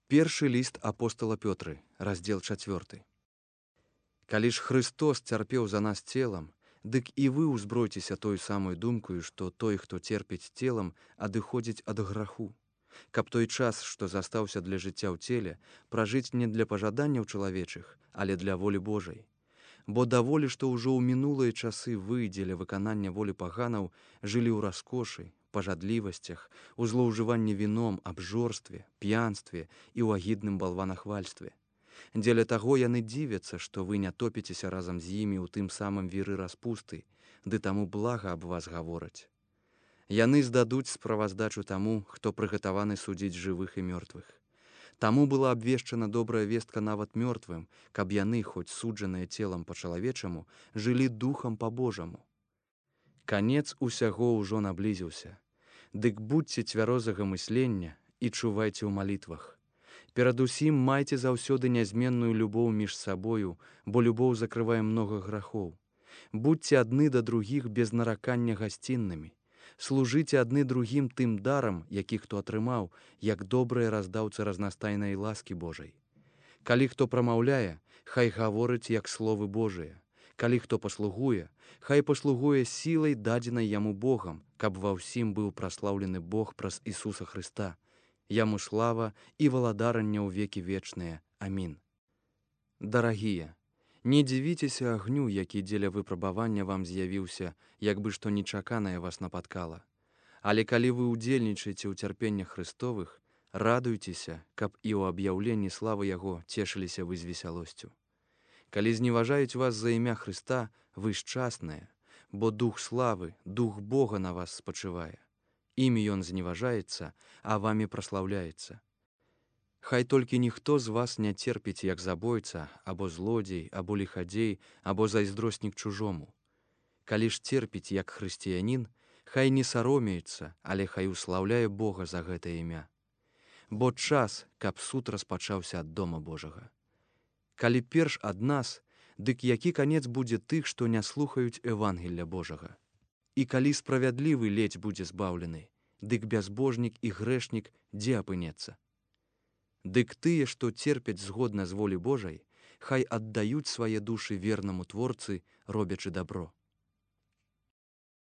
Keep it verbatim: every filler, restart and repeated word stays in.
Першы ліст апостала Пётры, раздзел чацвёрты. Калі ж Христос цярпеў за нас целам, дык і вы ўзбройцеся той самой думкаю, што той, хто церпіць целам, адыходзіць ад граху, каб той час, што застаўся для жыцця ў целе, пражыць не для пажаданняў чалавечых, але для волі Божай. Бо даволі, што ўжо ў мінулыя часы вы дзеля выканання волі паганаў жылі ў раскошы, пажадлівасцях, у злоўжыванні віном, абжорстве, п'янстве і ў агідным балванахвальстве. Дзеля таго яны дзівяцца, што вы не топіцеся разам з імі ў тым самым віры распусты, ды таму блага аб вас гавораць. Яны здадуць справаздачу таму, хто прыгатаваны судзіць жывых і мёртвых. Таму была абвешчана добрая вестка нават мёртвым, каб яны, хоць суджаныя целам па-чалавечаму, жылі духам па-божаму. Канец усяго ўжо наблізіўся. Дык будьце цвярозага мыслення і чувайце ў малітвах. Перадусім майце заўсёды нязменную любоў між сабою, бо любоў закрывае многа грахоў. Будьце адны да другіх без наракання гасціннымі. Служыце адны другім тым дарам, які хто атрымаў, як добрыя раздаўцы разнастайнай ласкі Божай. Калі хто прамаўляе, хай гаворыць як словы Божыя. Калі хто паслугуе, хай паслугуе сілай, дадзенай яму Богам, каб ва ўсім быў праслаўлены Бог праз Ісуса Хрыста. Яму слава і валадаранне ў векі вечныя. Амін. Дарагія, не дзівіцеся агню, які дзеля выпрабавання вам з'явіўся, як бы што нечаканае вас напаткала. Але калі вы ўдзельнічаеце ў цярпеннях Христовых, радуйцеся, каб і ў аб'яўленні славы Яго цешыліся вы з весялосцю. Калі зневажаюць вас за імя Христа, вы шчасныя, бо дух славы, дух Бога на вас спачывае. Імі ён зневажаецца, а вамі праслаўляецца. Хай толькі ніхто з вас не церпіць як забойца, або злодзей, або ліхадзей, або зайздроснік чужому. Калі ж церпіць як хрысціянін, хай не саромеецца, але хай услаўляе Бога за гэта імя. Бо час, каб суд распачаўся ад дома Божага. Калі перш ад нас, дык які канец будзе тых, што не слухаюць Евангелля Божага? І калі справядлівы ледзь будзе збаўлены, дык бязбожнік і грэшнік дзе апынецца? Дык тыя, што церпяць згодна з волі Божай, хай аддаюць свае душы вернаму Творцы, робячы дабро.